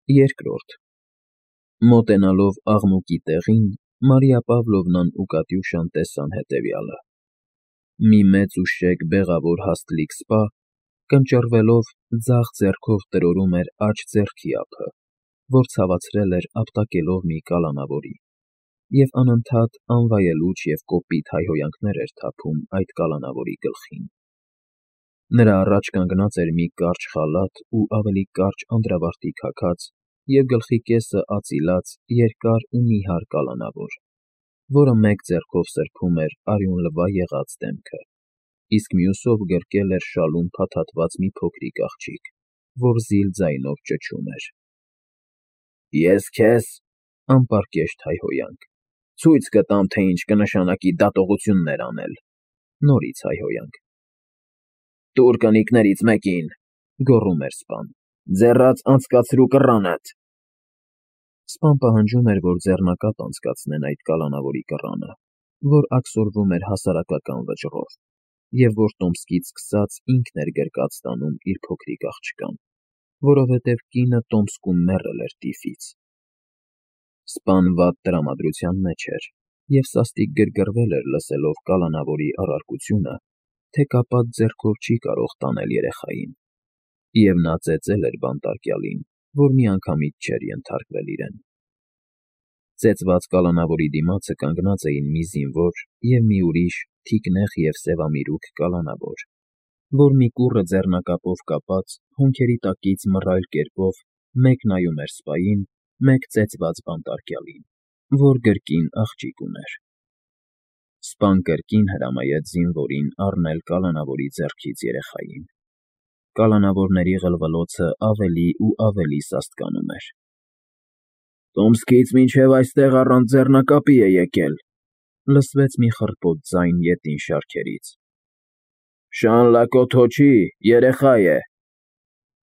Երկրորդ Մոտենալով աղմուկի տեղին, Մարիա Պավլովնան ու Կատյուշան տեսան հետևյալը. մի մեծ ու շեկ բեղավոր հաստլիկ սպա, կնճռվելով, ձախ ձեռքով տրորում էր աջ ձեռքի ափը, որ ցավացրել էր ապտակելով մի կալանավորի, և անընդհատ անվայելուչ և կոպիտ հայհոյանքներ էր թափում այդ կալանավորի գլխին։ Նրա առաջ կանգնած էր մի կարճ խալաթ ու ավելի կարճ անդրավարտի քաքած և գլխի կեսը ածիլած երկար ու նիհար կալանավոր, որը մեկ ձեռքով սրբում էր արյունլվա եղած դեմքը, իսկ մյուսով գրկել էր շալում փաթաթված մի փոքրիկ աղջիկ, որ զիլ ձայնով ճչում էր. Ես քեզ, անպարկեշտ հայհոյանք, ցույց կտամ, թե ինչ կնշանակի դատողություններ անել, նորից հայհոյանք։ Տուր կնիկներից մեկին, գոռում էր սպան, ձեռաց անցկացրու կռանդ։ Սպան պահանջում էր, որ ձեռնակապ անցկացնեն այդ կալանավորի կռանը, որ աքսորվում էր հասարակական վճռով, և որ Տոմսկից սկսած ինքն էր գրկած տանում իր փոքրիկ աղջկան, որովհետև կինը Տոմսկում մեռել էր տիֆից։ Սպան վատ տրամադրության մեջ էր և սաստիկ գրգռվել էր լսելով կալանավորի առարկությունը, թե կապած ձեռքով չի կարող տանել երեխային, և նա ծեծել էր բանտարկյալին, որ միանգամից չէր ենթարկվել իրեն։ Ծեծված կալանավորի դիմացը կանգնած էին մի զինվոր և մի ուրիշ թիկնեղ և սևամիրուք կալանավոր, որ մի կուռը ձեռնակապով կապած հոնքերի տակից մռայլ կերպով մեկ նայում էր սպային, մեկ ծեծված բանտարկյալին, որ գրկին աղջիկ ուներ։ Սպան կրկին հրամայեց զինվորին առնել կալանավորի ձեռքից երեխային։ Կալանավորների ղլվլոցը ավելի ու ավելի սաստկանում էր։ Տոմսկից մինչև այստեղ առանց ձեռնակապի է եկել, լսվեց մի խռպոտ ձայն ետին շարքերից։ Շան Լակոթոչի երեխա է։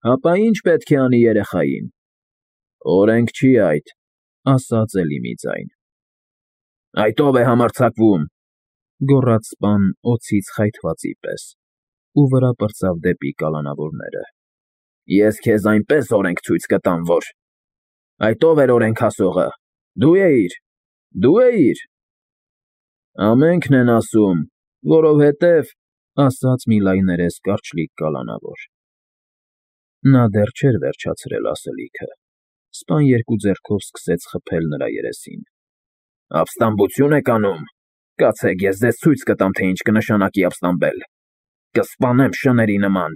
Հապա ի՞նչ պետք է անի երեխային։ Օրենք չի այդ, ասաց էլի մի ձայն։ Այդ ո՞վ է համարձակվում, գոռաց սպան օձից խայթվածի պես, ու վրա պրծավ դեպի կալանավորները։ Ես քեզ այնպես օրենք ցույց կտամ, որ… Այդ ո՞վ էր օրենք ասողը։ Դու էիր։ Ամենքն են ասում, որովհետև… ասաց մի լայներես կարճլիկ կալանավոր։ Նա դեռ չէր վերջացրել ասելիքը, սպան երկու ձեռքով սկսեց խփել նրա երեսին։ Ապստամբություն եք անում։ Կացեք, ես ձեզ ցույց կտամ, թե ինչ կնշանակի ապստամբել։ Կսպանեմ շների նման։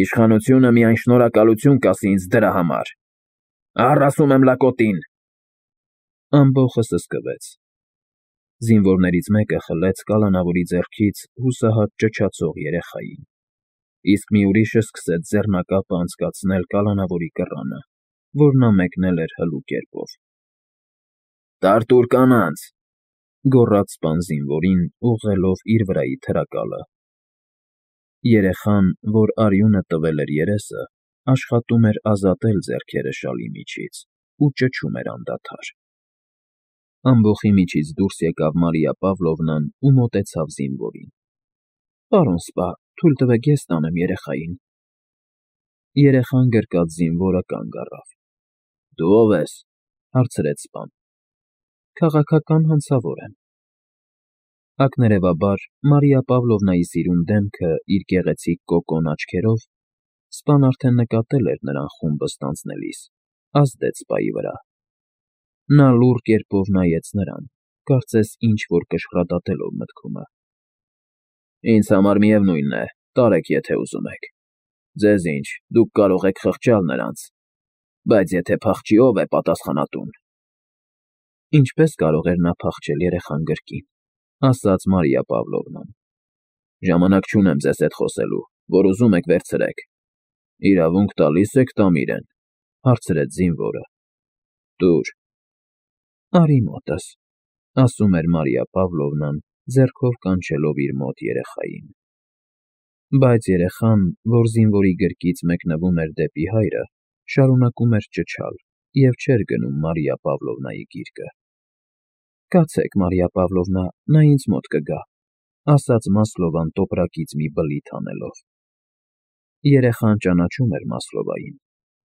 Իշխանությունը միայն շնորհակալություն կասի ինձ դրա համար։ Առ ասում եմ լակոտին։ Ամբոխը սսկվեց։ Զինվորներից մեկը խլեց կալանավորի ձեռքից հուսահատ ճչացող երեխային, իսկ մի ուրիշը սկսեց ձեռնակապը անցկացնել կալանավորի կռանը, որ նա մեկնել էր հլու կերպով։ Տարտուր կանանց, գոռաց սպան զինվորին, ուղղելով իր վրայի թրակալը։ Երեխան, որ արյունը տվել էր երեսը, աշխատում էր ազատել ձեռքերը շալի միջից ու ճչում էր անդադար։ Ամբոխի միջից դուրս եկավ Մարիա Պավլովնան ու մոտեցավ զինվորին։ Պարոն սպա, թույլ տվեք ես տանեմ երեխային։ Երեխան գրկած զինվորը կանգ առավ։ Դու ո՞վ ես, հարցրեց սպան։ Քաղաքական հանցավոր եմ։ Ակներևաբար Մարիա Պավլովնայի սիրուն դեմքը իր գեղեցիկ կոկոն աչքերով, սպան արդեն նկատել էր նրան խումբը ստանձնելիս, ազդեց սպայի վրա։ Նա լուռ կերպով նայեց նրան, կարծես ինչ֊որ կշռադատելով մտքումը։ Ինձ համար միևնույն է, տարեք, եթե ուզում եք։ Ձեզ ինչ, դուք կարող եք խղճալ նրանց, բայց եթե փախչի, ո՞վ է պատասխանատուն։ Ինչպես կարող էր նա փախչել երեխան գրկին, ասաց Մարիա Պավլովնան։ Ժամանակ չունեմ ձեզ հետ խոսելու, որ ուզում եք վերցրեք։ Իրավունք տալի՞ս եք տամ իրեն, հարցրեց զինվորը։ Տուր։ Արի մոտս, ասում էր Մարիա Պավլովնան, ձեռքով կանչելով իր մոտ երեխային։ Բայց երեխան, որ զինվորի գրկից մեկնվում էր դեպի հայրը, շարունակում էր ճչալ և չէր գնում Մարիա Պավլովնայի գիրկը։ Կացեք, Մարիա Պավլովնա, նա ինձ մոտ կգա, ասաց Մասլովան տոպրակից մի բլիթ անելով։ Երեխան ճանաչում էր Մասլովային,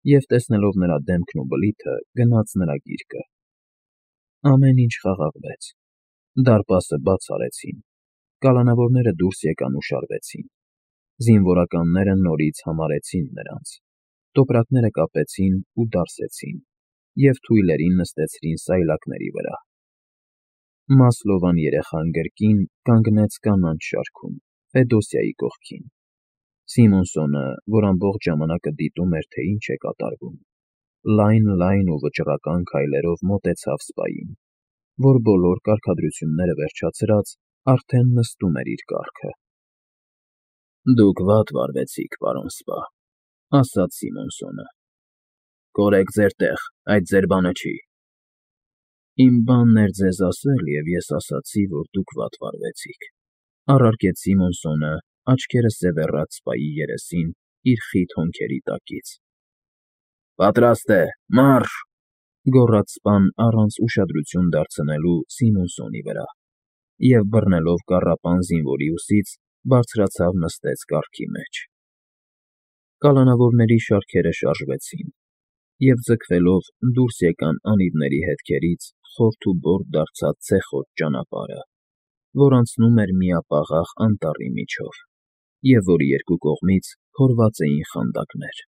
և, տեսնելով նրա դեմքն ու բլիթը, գնաց նրա գիրկը։ Ամեն ինչ խաղաղվեց։ Դարպասը բաց արեցին։ Կալանավորները դուրս եկան ու շարվեցին։ Զինվորականները նորից համարեցին նրանց։ Տոպրակները կապեցին ու դարսեցին և թույլերին նստեցրին սայլակների վրա։ Մասլովան երեխան գրկին կանգնեց կանաչ շարքում, Ֆեդոսիայի կողքին։ Սիմոնսոնը, որ ամբողջ ժամանակը դիտում էր, թե ինչ է կատարվում, լայն ու վճռական քայլերով մոտեցավ սպային, որ բոլոր կարգադրությունները վերջացրած արդեն նստում էր իր կառքը։ «Դուք վատ վարվեցիք, պարոն սպա», ասաց Սիմոնսոնը։ «Կորեք ձեր տեղ, այդ ձեր բանը չի»։ «Իմ բանն էր ձեզ ասել, և ես ասացի, որ դուք վատ վարվեցիք», առարկեց Սիմոնսոնը, աչքերը սևեռած սպայի երեսին իր խիտ հոնքերի տակից։ «Պատրաստ է, մարշ», գոռաց սպան առանց ուշադրություն դարձնելու Սիմոնսոնի վրա, և բռնելով կառապան զինվորի ուսից, բարձրացավ նստեց կառքի մեջ։ Կալանավորների շարքերը շարժվեցին, և ձգվելով դուրս եկան անիվների հետքերից խորթ ու բորդ դարձած ցեխոտ ճանապարհը, որ անցնում էր միապաղաղ անտառի միջով, և որի երկու կողմից փորված էին խանդակներ։